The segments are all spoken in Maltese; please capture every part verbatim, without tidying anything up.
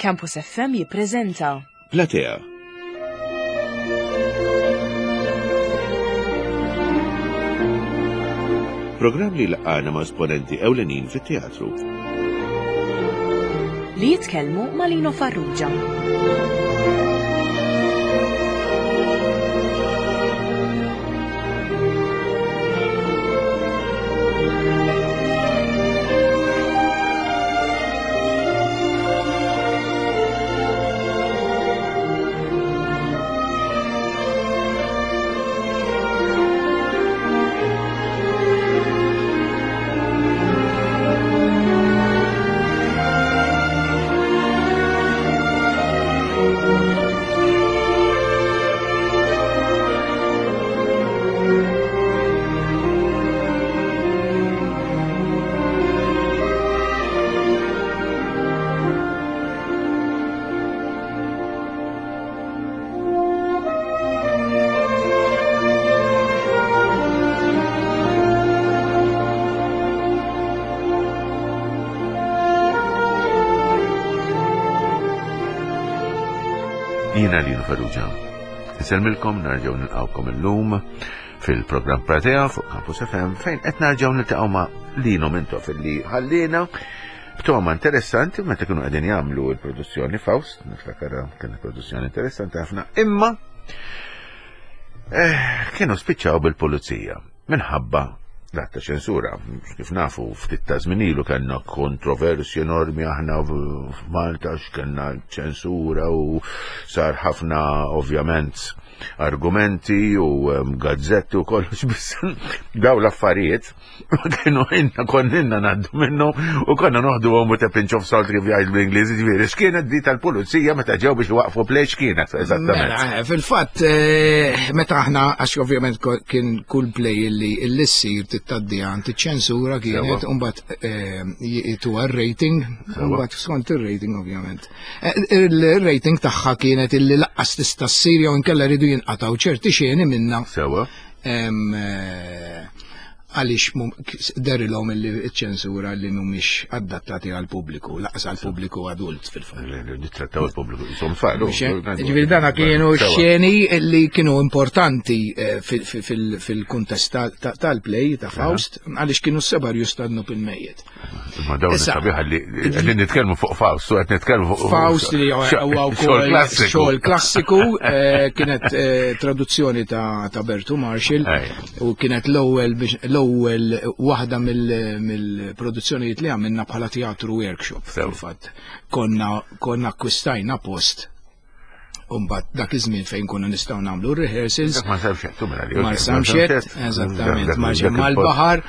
Campus F M jippreżenta Platea. Programm li laqana ma' esponenti ewlenin fit-teatru. Li jitkellmu ma' Lino Farrugia. Jiena Lino Farrugia. Insellmilkom, nerġgħu nilqgħukom illum fil-programm Platea fuq Campus F M fejn qed nerġgħu niltaqgħu ma' Lino Mintoff illi ħallina b'toma interessanti meta kienu qegħdin jagħmlu l-produzzjoni Faust, niftakar kienet produzzjoni interessanti ħafna, imma eh, kienu spiċċaw bil-pulizija minħabba l-att ta' ċensura. Kif nafu, ftit ta' żmien ilu kellna kontroversji enormi aħna f'Malta x'kellna ċensura u sar ħafna, ovvjament, argumenti u um, gazzetti u kollox, biss daw l-affarijiet kienu inna konna ngħaddu minnu u konna noħdu għom with a pinch of salt, kif jgħid bl-Ingliż. Ġifieri, x'kienet di tal-pulizija meta ġew biex waqfu play, x'kienet eżattament? Mela, eh, fil-fatt, eh, meta aħna, għax ovvjament ko- kien kull play illi illi ssir tgħaddi għand iċ-ċensura kienet, mbagħad jituha r-rating, mbagħad skont ir-rating ovvjament. Eh, Il-rating tagħha kienet illi lanqas tista' ssir jew inkella rridu jinqatgħu ċerti xeni minna Sewa. em, eh, għaliex mum- dehrilhom illi ċ-ċensura li mhumiex adattati għal pubbliku, lanqas għal pubbliku adult fil-fatt. Nittrattaw il-pubbliku, jisom tfal. Ġifieri dana kienu xeni li kienu importanti eh, fil- fil- fil-kuntest tal- ta- tal-play ta' Faust, għaliex kienu s-seba' rjus tad-dnub il-mejjet. Ma dawn Issa- sabiħa li qegħdin nitkellmu fuq Faust, u qed nitkellmu fuq Faust li huwa xogħol wkoll klassiku. xogħol klassiku, eh, kienet eh, traduzzjoni ta' ta' Bertu Marshall Ej. u kienet l-ewwel biex- l-ewwel waħda mill- mill-produzzjonijiet li għamilna bħala teatru workshop. Sew. Fil-fatt konna konna akkwistajna post. Umbat dak iż-żmien fejn konna nistgħu nagħmlu rehearsals. Dak ma sarx mela li. Mar Samxet, eżattament, mar mal-baħar.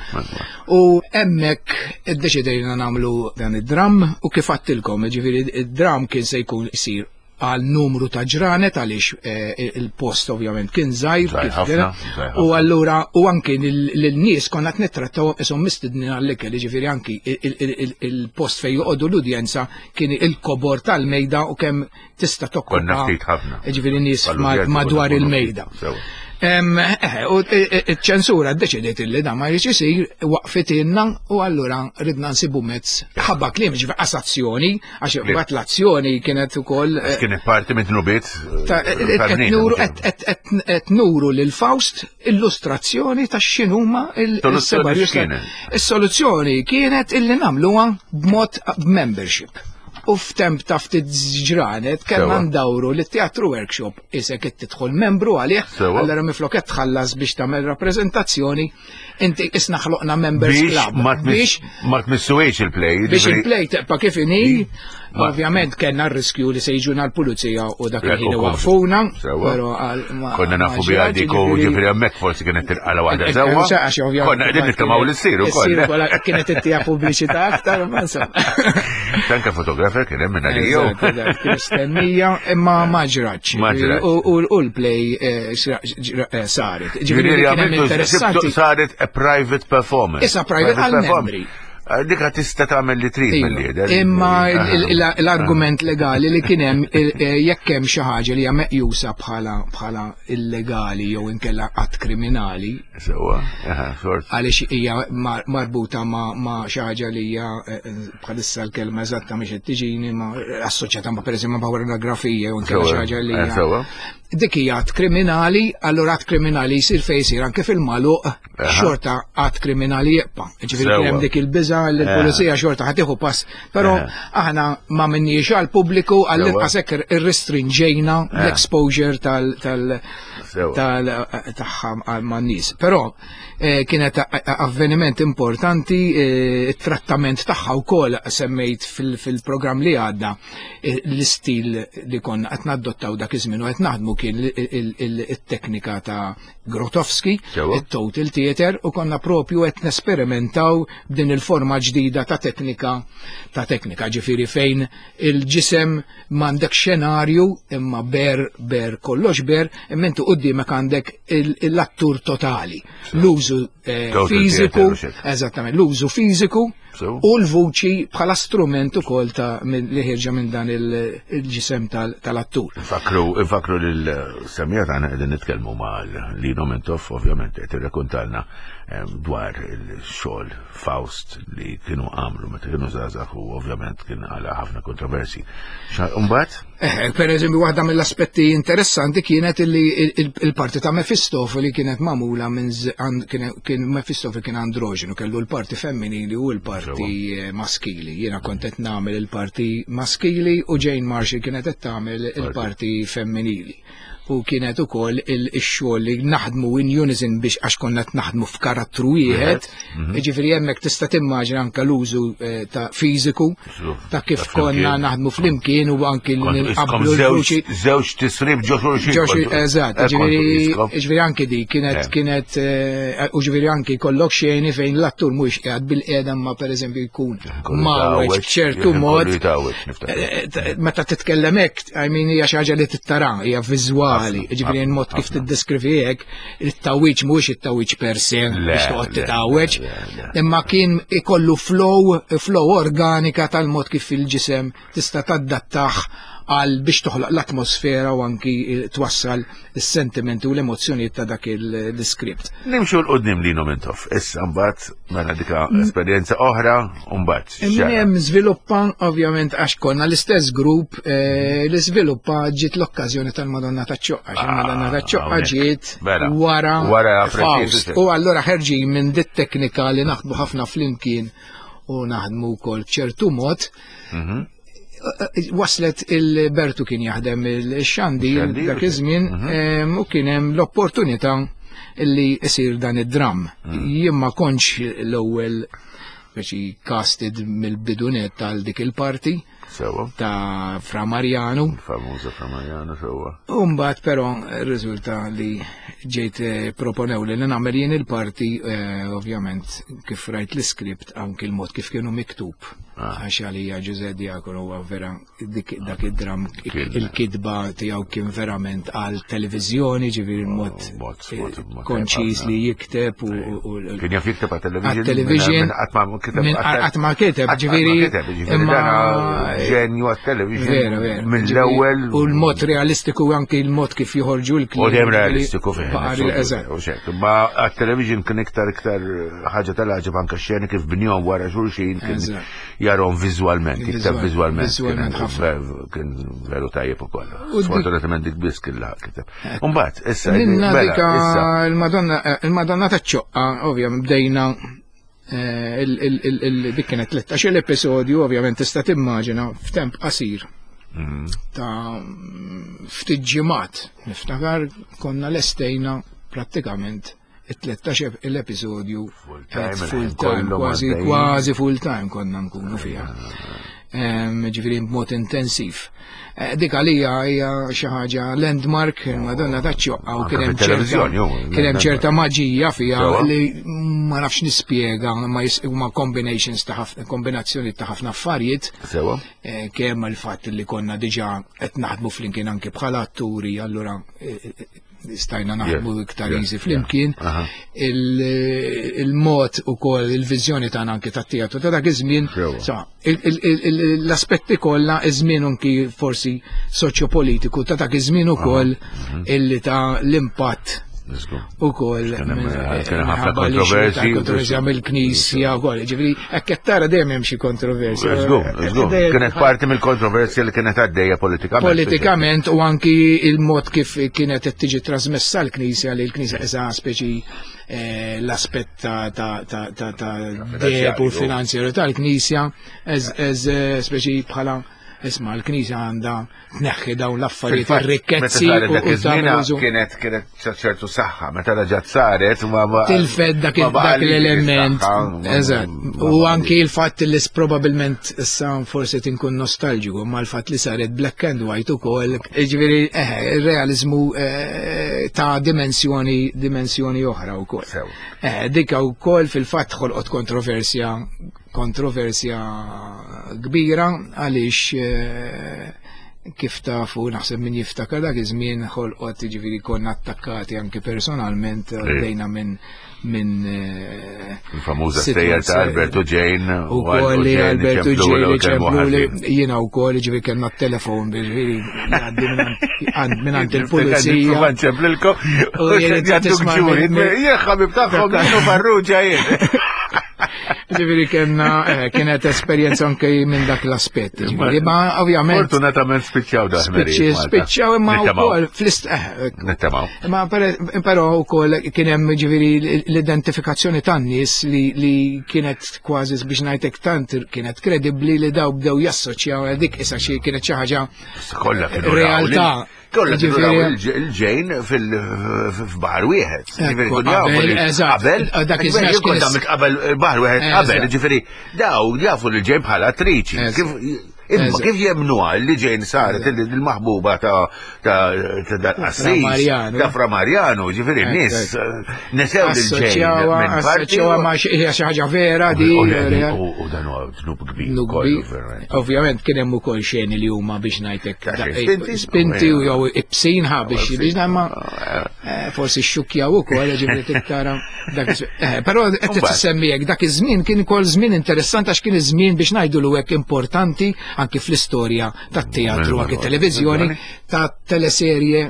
U hemmhekk iddeċidejna nagħmlu dan id-dram u kif għedtilkom, ġifieri id-dram kien se jkun isir għal numru ta' ġranet għaliex eh, il-post ovvjament kien żgħir Żgħir kif ħafna, kien. żgħir ħafna. U allura u anki lil-nies konna qed nittrattaw ishom mistednin għall-ikel, ġifieri anki il- il- il- il-post fejn joqogħdu l-udjenza kien il-kobor tal-mejda u kemm tista' tokkupa. Konna ftit ħafna. Ġifieri nies Għall-udjenza madwar konna il-mejda. ftit, sewa. Em, eh, U ċ-ċensura ddeċidiet illi da ma jridx isir, waqfitilna u allura ridna nsibu mezz ħabba kliem, ġifieri qas azzjoni, għax mbagħad l-azzjoni kienet ukoll eh, Kienet parti minn dnubiet ta' qed nuru qed- qed- qed- qed nuru lil Faust illustrazzjoni ta' x'inhuma il- Soluzzjoni il-seba' rjus ta' x'kienet? Is-soluzzjoni kienet illi nagħmluha b'mod membership. U f'temp ta' ftit ġranet kellna Sewa. ndawru li teatru workshop isek qed tidħol membru għalih, Sewa. allura minflok qed tħallas biex tagħmel rappreżentazzjoni, inti isna ħloqna members Biex club. ma tmiss- ma tmissuwiex il-play. Biex ġifieri- il-play tibqa' kif inhi, Ma- ovvjament kellna r-riskju li se jiġuna l-pulizija u dak Jekk il-ħin ukoll. waqfuna, Sewa. però għal- ma- Konna ma nafu biha ġrax, dik u ġifieri- ġifieri hemmhekk forsi kienet tilqala waħda Eh, sewwa. eh, għax ovvjament Konna qegħdin nittamaw li ssir ukoll. Issir ukoll kienet ittija pubbliċità aktar, ma insomma. Tanka fotografer kien hemm minn għaliju. Eżatt, eżatt, kien stennija, imma ma ġratx. Ma ġratx. U u- u l-play eh, xra- ġra- eh, saret. Ġifieri Ġifieri li kien hemm għamiltu interessanti. saret a private performance. Issa private għal performance. membri. Dika tista' tagħmel li trid Iva. mill-lider. Imma il- il- l-argument legali li kien hemm il- eh, jekk hemm xi ħaġa li hija meqjusa bħala bħala illegali jew inkella att kriminali, Sewwa, aha, sort. għaliex hija mar- marbuta ma' ma' xi ħaġa li hija eh, eh, bħalissa l-kelma eżatta mhix qed tiġini ma' assoċjata ma' pereżempju ma' pornografija jew inkella xi ħaġa li Eh, hija Sewwa. Dik hija att kriminali, allura att kriminali jsir fejn jsir anke fil-magħluq xorta att kriminali jibqa'. Ġifieri kien hemm Sewwa. dik il-biża li l-pulizija xorta ħa tieħu pass, però Eh. aħna ma minniex għall-pubbliku għall-inqas hekk irrestrinġejna l-exposure tal tal Sewwa. tal tagħha man-nies. Però eh, kienet a- a- avveniment importanti, eh, it-trattament tagħha wkoll semmejt fil- fil-programm li għadda eh, l-istil li konna qed nadottaw dak iż-żmien u qed naħdmu kien il- il- il- it-teknika ta' Grotowski, Sewwa. it-total theater u konna propju qed nesperimentaw b'din il-forma ġdida ta' teknika ta' teknika ġifieri fejn il-ġisem m'għandek xenarju imma ber ber kollox ber imma inti quddiemek għandek il- l-attur totali. L-użu eh, Total fiżiku, theater u xek. eżattament, l-użu fiżiku Sew. u l-vuċi bħala strument ukoll ta' min- li ħierġa minn dan il- il-ġisem tal- tal-attur. Infakru, infakru lil-semmiegħa tagħna qegħdin nitkellmu ma' Lino Mintoff, ovvjament qed irrakkontalna em, dwar il-xogħol Faust li kienu għamlu meta kienu żgħażagħ u ovvjament kien għala ħafna kontroversi. Mbagħad Eh, per eżempju, waħda mill-aspetti interessanti kienet illi il- il- il-parti ta' Mefistofeli kienet magħmula minn z- an- kien kien Mefistofeli kien androġinu, kellu l-parti femminili u l-parti eh, maskili. Jiena kont qed nagħmel il-parti maskili u Jane Marshall kienet qed tagħmel il-parti femminili. U kienet ukoll il-xogħol li naħdmu in unison biex għax konna qed naħdmu f'karattru wieħed, jiġifieri hemmhekk tista' timmaġina anke l-użu eh, ta' fiżiku ta' kif Ta' konna flimkien. naħdmu flimkien u anki li Kontu iskom nqablu l-vuċi. żewġ żewġ tisrib ġo xulxin. Ġoxi, kontu- eżatt, eh, kontu ġifieri iskom. ġifieri anki di kienet Eh. kienet eh, u ġifieri anki kollok xeni fejn l-attur mhux qiegħed bil-qiegħda ma pereżempju jkun Kollu mawweġ jitgħawweġ, b'ċertu jkun mod. kollu jitgħawweġ, niftakar. Eh, eh, Meta titkellem hekk, I mean hija xi ħaġa li tittara, hija viżwali, Ħafna, ġifieri ħafna, mod kif ħafna. tiddeskrivi hekk, it-tawwiġ mhuwiex it-tawwiġ per se Le, biex toqgħod le, titgħawweġ, le, le, le. imma kien ikollu flow, flow organika tal-mod kif il-ġisem tista' tadattah għal biex toħloq l-atmosfera u anki eh, twassal is-sentimenti u l-emozzjonijiet ta' dak il-script. Nimxu 'l quddiem Lino Mintoff. Issa mbagħad mela dika esperjenza oħra u mbagħad. Min x'ġara? hemm żviluppa ovvjament għax konna l-istess grupp eh, li żviluppa ġiet l-okkażjoni tal-Madonna taċ-Ċoqqa. Għax il-Madonna taċ-Ċoqqa hawnhekk. ġiet Mela. wara Wara Faust. preċiż. U allura ħerġin minn dit teknika li naħdmu ħafna flimkien u naħdmu wkoll b'ċertu mod. Mhm. Waslet il-Bertu kien jaħdem il-xandir Xandir, dak iż-żmien em, u kien hemm l-opportunità li isir dan id-dram. Jien ma kontx l-ewwel speċi casted mill-bidunet tal dik il-parti Sewwa. ta' Fra Mariano. Famuża Fra Mariano sewwa. Umbat però riżulta li ġejt eh, proponew li nagħmel jien il-parti eh, ovvjament kif rajt l-iskript anki l-mod kif kienu miktub. Ah. Għax għalija Ġuże Diacono huwa vera dik dak id-dram Kien- il-kitba tiegħu kien verament għal televiżjoni, ġifieri il-mod Oh, mod- eh, mod- mod konċis tajjeb li jikteb u u- Kien jaf jikteb għat-television. Għat-television. Minn qatt ma kiteb. Minn qatt ma kiteb, qatt ma ġifieri, kiteb, ġifieri imma- dana ġenju għat-television. Vera, vera. Mill-ewwel. U l-mod realistiku anki l-mod kif joħorġu l-kliem. U dejjem realistiku fih. Eżatt. U xek. Ma għat-television kien iktar iktar ħaġa tal-għaġeb anka xeni kif bnihom wara xulxin kien Eżatt. jarahom viżwalment, iktar Viżwal- viżwalment. viżwalment Kien- ħafna. Kien veru tajjeb ukoll. U dik- Sfortunatament dik biss kien laħaq kiteb. Umbagħad, issa, Minna mela, dika issa. il-Madonna eh, il-Madonna taċ-ċoqqa, ovvjament bdejna eh, il- il- il- il- dik kienet tlettax-il episodju, ovvjament tista' timmaġina f'temp qasir Mm. ta' ftit ġimgħat. Niftakar konna lestejna prattikament it-tlettax l-episodju Full time, eh, full il-ħin time, kollu kważi għaddejjin. kważi full time konna nkunu fiha. Em, Ġifieri b'mod intensiv. Eh, Dik għalija hija xi ħaġa landmark, il-Madonna taċ-ċoqqa u Anke kien hemm fit-televiżjoni, ċerta ju, kien hemm ċerta maġija fiha Sewwa. li ma nafx nispjega ma jis- huma combinations ta' ħafna kombinazzjoni ta' ħafna affarijiet Sewwa. eh, kemm il-fatt li konna diġà qed naħdmu flimkien anke bħala atturi, allura eh, eh, stajna naħdmu iktar easy flimkien, il-mod ukoll il-viżjoni tagħna anki tat-teatru ta' dak iż-żmien, l-aspetti kollha, iż-żmien anki forsi soċjopolitiku ta' dak iż-żmien ukoll illi ta' l-impatt u koll ħafna kontroversji kontroversja mill-Knisja u koll, ġifieri hekk qed tara dejjem hemm xi kontroversja. Kienet parti mill-kontroversja li kienet għaddejja politikament. Politikament u anki il-mod kif kienet qed tiġi trasmessa l-Knisja, li l-Knisja esa speċi l-aspett ta' deb u finanzjeru tal-Knisja eż speċi bħala isma' l-Knisja għandha tneħħi dawn l-affarijiet ir-rikkezzi. Kienet kienet ċertu saħħa, meta reġgħet saret ma tilfed dak l-element. Eżatt. U anki l-fatt li probabbilment issa forsi tinkun nostalġiku, ma l-fatt li saret black and white ukoll, jiġifieri eh ir-realiżmu ta' dimensjoni dimensjoni oħra wkoll. Eh dik ukoll fil-fatt ħolqot kontroversja kontroversja kbira għaliex kif tafu naħseb min jiftakar dak iż-żmien ħolqot, jiġifieri konna attakkati anke personalment, għaddejna minn minn il-famuża stejjer ta' Alberto Jane u koll Alberto Jane ċempluli jiena wkoll, jiġifieri kellna t-telefon ġifieri jgħaddi minn il-pulizija. Nċemplilkom u jgħadduk ġuri, jien ħabib tagħhom Lino Farrugia jien. Ġifieri kellna kienet esperjenza anke minn dak l-aspett. Ġifieri ma ovvjament fortunatament spiċċaw dak spiċċaw imma wkoll fl-ist nittamaw. Imma però wkoll kien hemm ġifieri l-identifikazzjoni tan-nies li kienet kważi biex ngħidlek tant kienet kredibbli li daw bdew jassoċjaw dik issa xi kienet xi ħaġa realtà. Kollha kienu raw il-Jane f'baħar wieħed. Qabel, dak iż-żmien qabel baħar wieħed qabel, ġifieri daw jafu lil Jane bħala attriċi. Imma kif jemnuha li Jane saret il-maħbuba ta' dal-qassis, ta' Fra Marjano, ġifieri n-nies nesew lil Jane minn parti. Assoċjawha ma' xi ħaġa vera di. U dan huwa dnub kbir. Ovvjament kien hemm ukoll xeni li huma biex ngħidlek spinti u jew ibsinha biex biex ma forsi xxukkjaw ukoll, ġifieri tittara dak. Però qed tissemmi hekk dak iż-żmien kien ukoll żmien interessanti għax kien iż-żmien biex ngħidulu hekk importanti anki fl-istorja tat-teatru, anki televiżjoni, ta' teleserje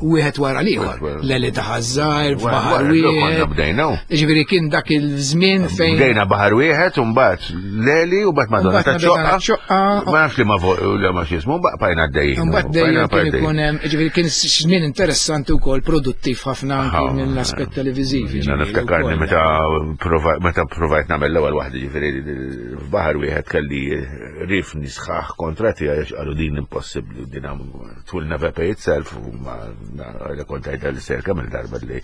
wieħed wara l-ieħor. Leli ta' Ħażżar, f'Baħar Wieħed. Ġifieri kien dak il-żmien fejn bdejna Baħar Wieħed u mbagħad Leli u mbagħad Madonna ta' Ċoqqa. Ma nafx li ma li ma x'ismu, baqajna għaddejjin. Mbagħad dejjem kien ikun hemm, ġifieri kien żmien interessanti wkoll produttiv ħafna anki mill-aspett televiżiv. Jiena niftakarni meta meta provajt nagħmel l-ewwel waħda, ġifieri f'Baħar Wieħed kelli rifni sħaħ kontra tiegħi għax qalu din impossibbli din it will never pay itself, u ma kont għajda li ser kemm il-darba li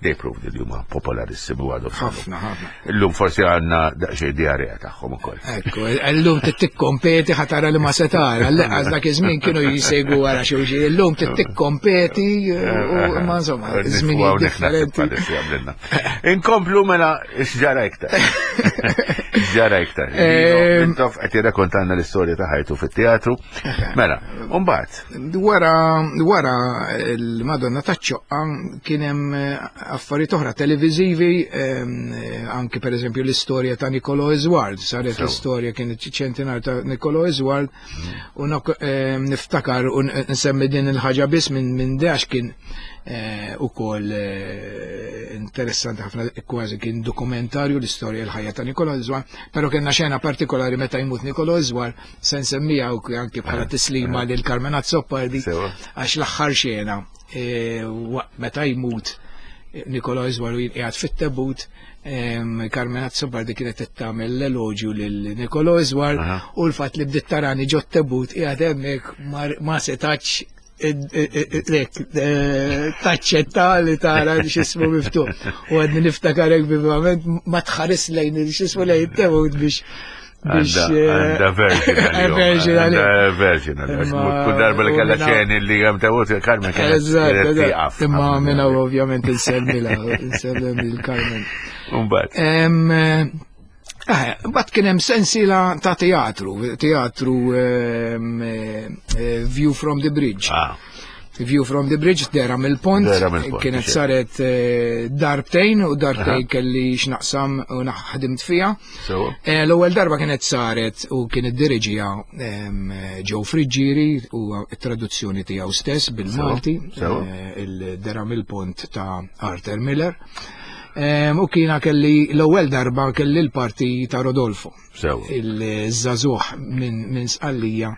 they proved li huma popolarissimi u għadhom. Ħafna, ħafna. Illum forsi għandna daqsxejn diarrea tagħhom ukoll. Ekku, illum tikkompeti ħatara li ma se tara, l-lanqas dak iż-żmien kienu jisegwu wara xulxin, illum tikkompeti u ma insomma, żminijiet differenti. Inkomplu mela x'ġara iktar. X'ġara iktar. Mintoff qed jirrakkontanna l-istorja ta' ħajtu fit-teatru. Mela, u mbagħad. Wara wara l-Madonna taċ-Ċoqqa kien hemm affarijiet oħra televiżivi, anke pereżempju l-istorja ta' Nicolo Isward, saret l-istorja kienet ċentinar ta' Nicolo Isward, u niftakar u nsemmi din il-ħaġa biss minn minn dax kien ukoll interessanti ħafna, kważi kien dokumentarju l-istorja l-ħajja ta' Nicolo Isward, però kellna xena partikolari meta jmut Nicolo Isward, se nsemmija anke bħala tislima lil Carmen Azzopardi, għax l-aħħar xena meta jmut Nicolo Isward u jinqiegħed fit-tebut, Carmen Azzopardi kienet qed tagħmel l-eloġju lil Nicolo Isward u l-fatt li bdiet tarani ġo t-tebut qiegħed hemmhekk ma setax lek taċċetta li tara x'ismu miftuħ. U għadni niftakar hekk vivament ma tħares lejn x'ismu lejn it-tebut biex Għanda version għanda version. Kull darba li kella xeni li għam tawut Carmen kienet tieqaf. Imma minna ovvjament insemmila, insemmila il-Carmen. Umbagħad. Mbagħad kien hemm sensiela ta' teatru, teatru View from the Bridge. View from the Bridge, Dera mill-Pont, kienet saret darbtejn u darbtejn kelli x'naqsam u naħdimt fiha. L-ewwel darba kienet saret u kien iddiriġiha Joe Friggieri u t-traduzzjoni tiegħu stess bil-Malti, il-Dera mill-Pont ta' Arthur Miller. U kiena kelli l-ewwel darba kelli l-parti ta' Rodolfo. Il-żagħżugħ minn Sqallija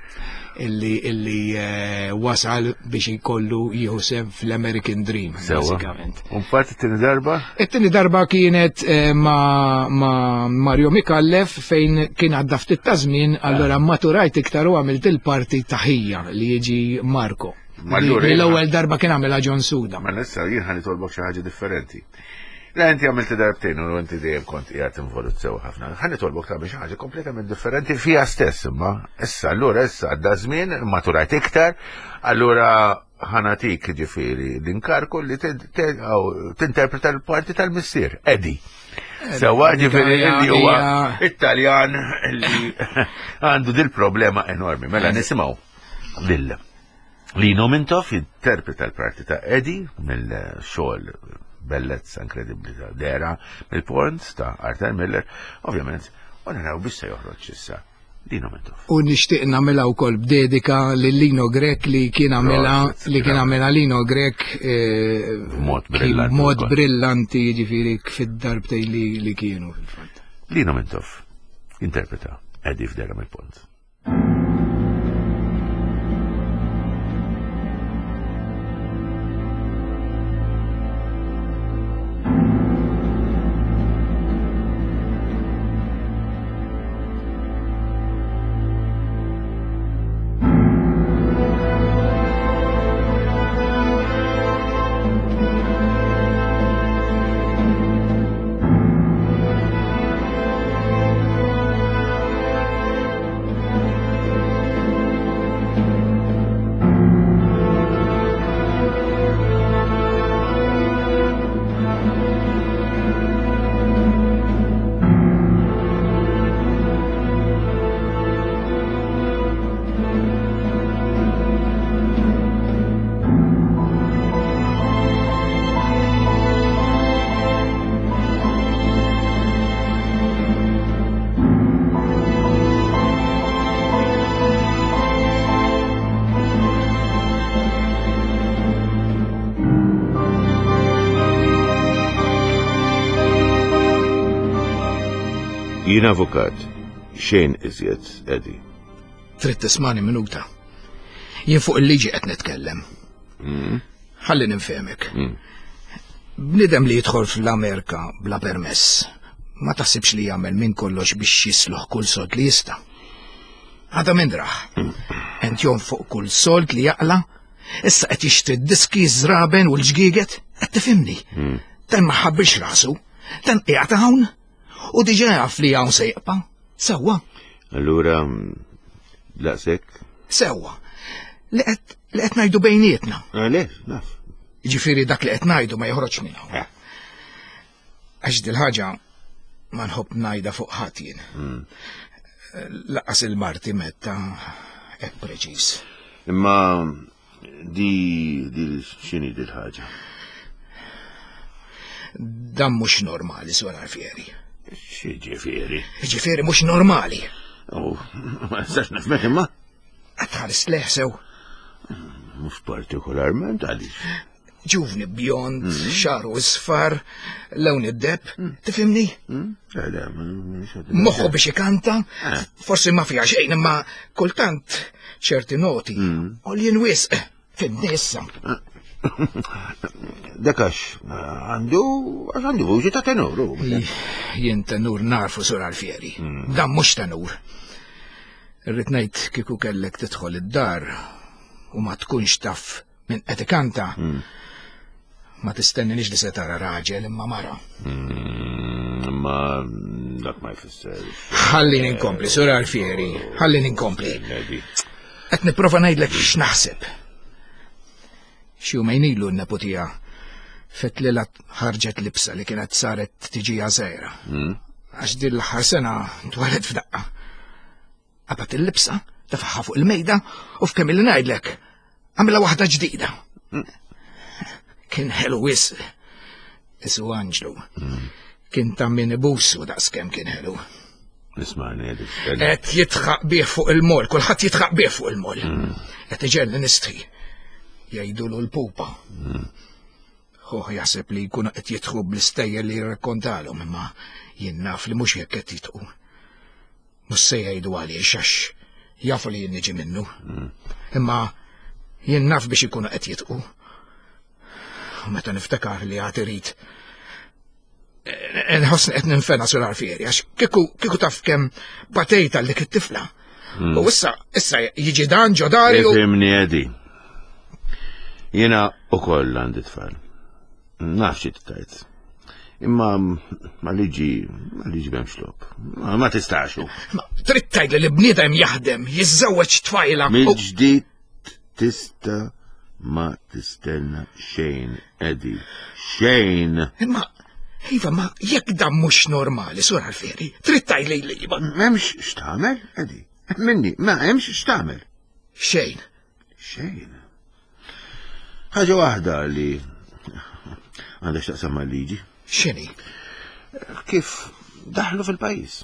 illi illi wasal biex jkollu jieħu sehem fl-American Dream, bażikament. U mbagħad it-tieni darba? It-tieni darba kienet ma' Mario Micallef fejn kien għadda ftit ta' żmien, allura maturajt iktar u għamilt il-parti ta' ħija li jiġi Marco. L-ewwel darba kien għamilha John Suda. Ma issa jien ħa nitolbok xi ħaġa differenti. La inti għamilt darbtejn u inti dejjem kont qiegħed involut sew ħafna. Ħa nitolbok tagħmel xi ħaġa kompletament differenti fiha stess imma. Issa allura issa għadda żmien maturajt iktar, allura ħa nagħtik ġifieri l-inkarku li tinterpreta l-parti tal-missier, Eddie. Sewwa ġifieri li huwa Italjan li għandu dil-problema enormi. Mela nisimgħu lil Lino Mintoff jinterpreta l-parti ta' Eddie mill-xogħol bellezza inkredibbli ta' Dera mill-Pont ta' Arthur Miller, ovvjament, u naraw biex se joħroġ issa Lino Mintoff. U nixtieq nagħmilha wkoll b'dedika lil Lino Grech li kien għamilha li kien għamilha Lino Grech b'mod brillanti. Mod brillanti jiġifieri fid-darbtejn li kienu fil-fatt. Lino Mintoff interpreta Eddie f'Dera mill-Pont. Jien avukat, xejn iżjed, Eddie. Trid tismani minuta. Jien fuq il-liġi qed nitkellem. Ħalli ninfehmek. Bniedem li jidħol fl-Amerika bla permess, ma taħsibx li jagħmel minn kollox biex jisluħ kull sold li jista'. Għada minn raħ. Ent jonfoq kull sold li jaqla, issa qed jixtri d-diski, żraben u l-ġgieget, qed tifhimni. Dan ma ħabbilx rasu, dan qiegħed hawn. U diġà jaf li hawn se jibqa'. Sewwa. Allura daqshekk? Sewwa. Li qed li qed ngħidu bejnietna. Għaliex, naf. Jiġifieri dak li qed ngħidu ma joħroġ minn hawn. Għax dil-ħaġa ma nħobb ngħidha fuq ħadd jien. Laqas il-marti metta hekk preċiż. Imma di di x'inhi dil-ħaġa? Dan mhux normali, Sur Alfieri. X'jiġifieri? Jiġifieri mhux normali. Oh, ma nistax nifhmek imma. Qed tħares lejh sew. Mhux partikolarment għaliex. Ġuvni bjond, xagħru isfar, lewn id-deb, tifhimni? Moħħu biex ikanta, forsi ma fiha xejn imma kultant ċerti noti u li wisq fin-nisa. Dak għax għandu għax għandu vuċi ta' tenur. Jien tenur narfu Sur Alfieri. Dan mhux tenur. Irrid ngħid kieku kellek tidħol id-dar u ma tkunx taf minn qed ikanta. Ma tistenninix li se tara raġel imma mara. Imma dak ma jfisser. Ħallini nkompli, Sur Alfieri, ħallini nkompli. Qed nipprova ngħidlek x'naħseb. Xi jumejn ilu n-neputija fetlilha ħarġet libsa li kienet saret tiġija żgħira. Għax din l-aħħar sena twalet f'daqqa. Qabad il-libsa, tefagħha fuq il-mejda u f'kemm illi ngħidlek, għamilha waħda ġdida. Kien ħelu wisq. Isu Anġlu. Kien ta' min ibusu daqskemm kien ħelu. Ismagħni, Eddie. Qed jidħaq bih fuq il-mol, kulħadd jidħaq bih fuq il-mol. Qed iġegħelni nistħi. Jgħidulu l-pupa. Hu jaħseb li jkunu qed jidħku bl-istejjer li jirrakkontalhom, imma jien naf li mhux hekk qed jidħku. Mhux se jgħidu għaliex għax jafu li jien niġi minnu. Imma jien naf biex ikunu qed jidħku. U meta niftakar li għad irid nħossni qed ninfena Sur Alfieri, għax kieku kieku taf kemm batejt għal dik it-tifla. U issa issa jiġi dan ġo dari u Ifhimni, Eddie. Jiena ukoll għandi tfal. Naf xi tgħid. Imma ma liġi, ma liġi m'hemmx logħob. Ma, ma tistax. Ma trid tgħid li bniedem jaħdem, jiżżewweġ tfajla. u- Mill-ġdid tista' ma tistenna xejn, Eddie. Xejn. Imma Iva, ma jekk dan mhux normali, Sur Alfieri, trid tgħid li li ma M'hemmx x'tagħmel, Eddie. Minni, ma hemmx x'tagħmel. xejn. Xejn. Ħaġa waħda li għandha x'taqsam mal-liġi. X'inhi? Kif daħlu fil-pajjiż.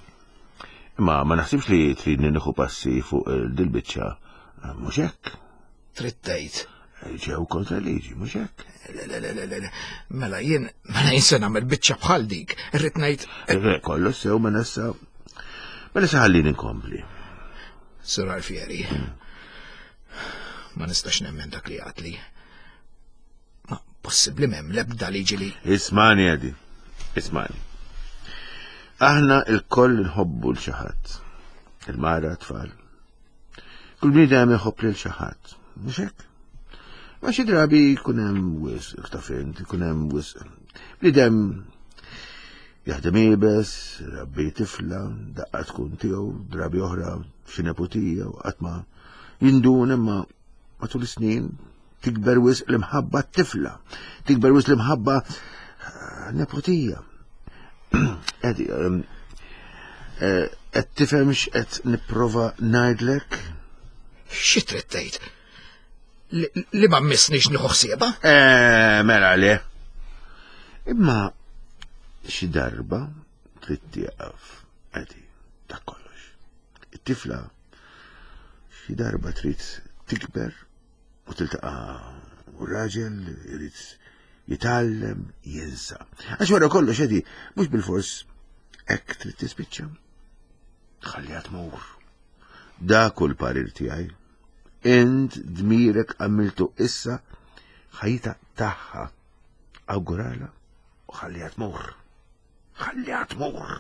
Imma ma naħsibx li tridni nieħu passi fuq dil-biċċa. Mhux hekk. Trid tgħid. Ġew kontra liġi, mhux hekk. Le, le, le, le, le, Mela jien, mela jien se nagħmel biċċa bħal dik. Irrid ngħid, Re, kollox sew mela issa. Mela issa ħallini nkompli. Sur Alfieri. Ma nistax nemmen dak li għedtli. Ma possibbli m'hemm l-ebda liġi li Ismagħni, Eddie. Ismagħni. Aħna il-koll nħobbu 'l xi ħadd. Il-mara, tfal. Kull bniedem iħobb lil xi ħadd. Mhux hekk? Ma xi drabi jkun hemm wisq, taf int, ikun hemm wisq. Bniedem jaħdem iebes, rabbi tifla, daqqa tkun tiegħu, drabi oħra xi neputija u qatt ma jindun imma matul is-snin tikber wisq l-imħabba t-tifla, tikber wisq l-imħabba eh, neputija. Eddie, ehm, eh, qed tifhem x'qed nipprova ngħidlek? xi trid tgħid? Li, li ma missnix nieħu ħsiebha? Eh, mela le. Imma xi darba trid tieqaf, Eddie, dak kollox. It-tifla xi darba trid tikber u tiltaqa' u raġel irid jitgħallem jinsa. Għax wara kollox Eddie, mhux bilfors hekk trid tispiċċa. Ħalliha tmur. Dak hu l-parir tiegħi. Int dmirek għamiltu issa ħajta tagħha. Awgurala u ħalliha tmur. Ħalliha tmur.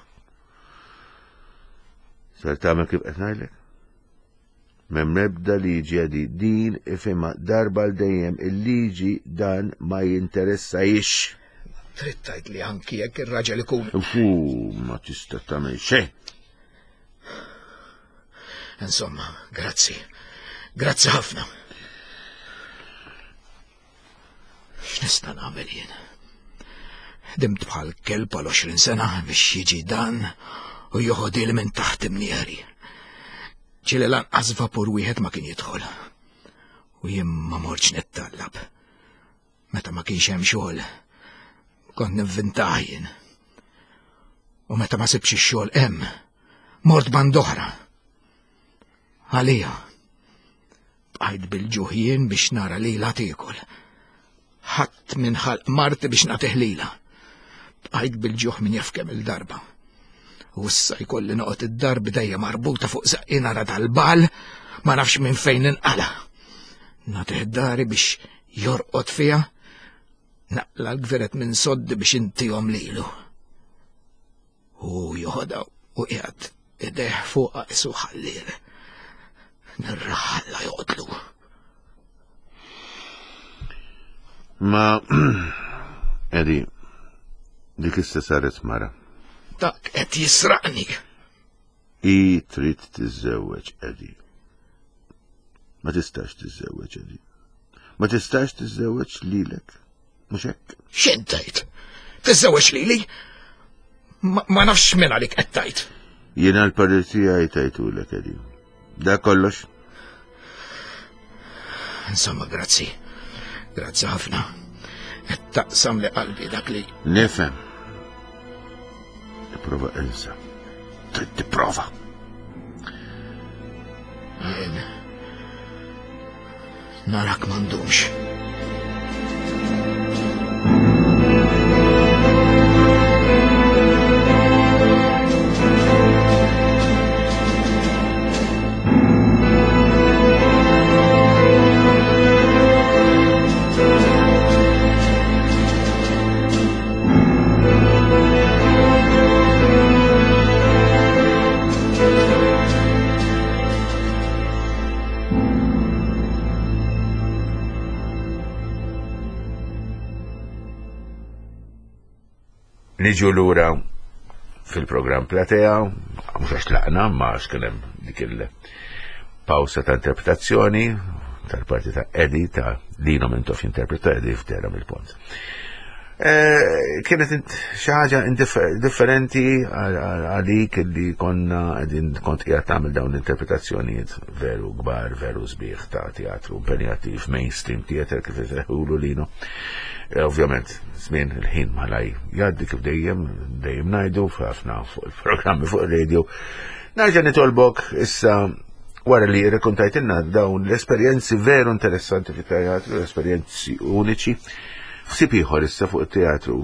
Ser tagħmel kif qed ngħidlek? M'hemm ebda liġi għadi din ifhimha darba l dejjem il-liġi dan ma jinteressahiex. Trid tgħid li anki jekk ir-raġel ikun. Fu, ma tista' tagħmel xejn. Insomma, grazzi. Grazzi ħafna. X'nista' nagħmel jien? Ħdimt bħal kelb għal għoxrin sena biex jiġi dan u joħodhieli minn taħt imnieri. Ġieli lanqas vapur wieħed ma kien jidħol. U jien ma mortx nittallab. Meta ma kienx hemm xogħol, kont nivvintah jien. U meta ma sibx ix-xogħol hemm, mort band'oħra. Għalija, bqajt bil-ġuħ jien biex nara lilha tiekol. Ħadt minn ħalq marti biex nagħtih lilha. Bqajt bil-ġuħ min jaf kemm il-darba. U issa jkolli noqgħod id-dar b'idejja marbuta fuq żaqqi nara dal-bagħal, ma nafx minn fejn inqala. Nagħtih dari biex jorqod fiha, naqla l-gveret minn soddi biex intihom lilu. U joħodha u qiegħed idejh fuqha qisu ħalliel. Nirraħalla joqtlu. Ma, Eddie, dik issa saret mara. Dak qed jisraqni. I trid tiżżewweġ, Eddie. Ma tistax tiżżewweġ, Eddie. Ma tistax tiżżewweġ lilek. Mhux hekk? X'int tgħid? Tiżżewweġ lili? Ma, ma nafx min għalik qed tgħid. Jiena l-parir tiegħi tajtulek, Eddie. Da kollox. Insomma, grazzi. Grazzi ħafna. Qed taqsam li qalbi dak li. Nifhem. Tipprova insa. Trid tipprova. Jien narak m'għandux. Niġu lura fil-programm Platea, mhux għax tlaqna, ma għax kien hemm dik il-pawsa ta' interpretazzjoni tal-parti ta' Eddie ta' Lino Mintoff jinterpreta Eddie f'Dera mill-Pont. Eh, kienet xi ħaġa differenti għalik li konna qegħdin kont qiegħed tagħmel dawn l-interpretazzjonijiet veru kbar, veru sbieħ ta' teatru impenjattiv, mainstream theater kif isejħulu Lino. Eh, ovvjament, żmien il-ħin malaj jgħaddi kif dejjem, dejjem ngħidu ħafna fuq il-programmi fuq il-radio. Nerġa' nitolbok issa wara li rrakkontajtilna dawn l-esperjenzi veru interessanti fit-teatru, esperjenzi uniċi. Ħsieb ieħor issa fuq it-teatru,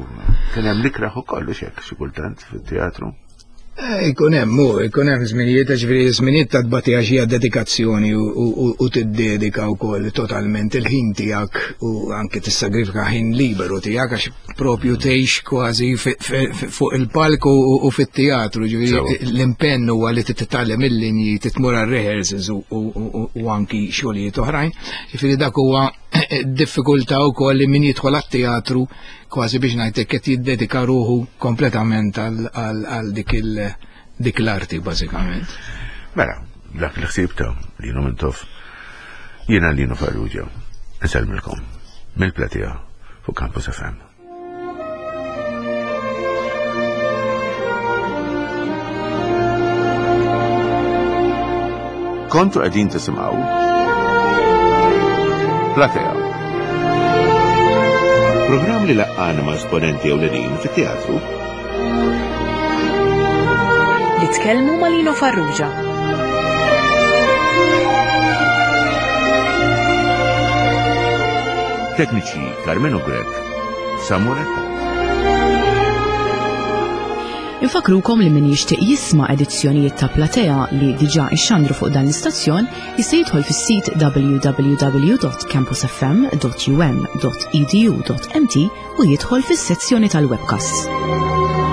kien hemm l-ikraħ ukoll x'hekk xi kultant fit-teatru. Eh, ikun hemm, hu, ikun hemm żminijiet, ġifieri żminijiet ta' tbatija xi dedikazzjoni u tiddedika wkoll totalment il-ħin tiegħek u anke tissagrifika ħin liberu tiegħek għax propju tgħix kważi fuq il-palk u fit-teatru, ġifieri l-impenn huwa li titgħallem il-linji, titmur għar-rehearsals u anki xogħlijiet oħrajn. Ġifieri dak huwa diffikultà wkoll li min jidħol għat-teatru kważi biex ngħidlek qed jiddedika ruħu kompletament għal dik dik l-arti bażikament. Mela, dak il-ħsieb ta' Lino Mintoff, jiena Lino Farrugia, insellmilkom mill-Platea fuq Campus F M. Kontu qegħdin tisimgħu Platea. Programm li laqqana ma' esponenti ewlenin fit-teatru. Li tkellmu ma' Lino Farrugia. Tekniċi Carmelo Grech, Samuel Attard. Infakrukom li min jixtieq jisma' edizzjonijiet ta' Platea li diġà ixxandru fuq dan l-istazzjon jista' jidħol fis-sit w w w dot campus f m dot u m dot e d u dot m t u jidħol fis-sezzjoni tal-webcasts.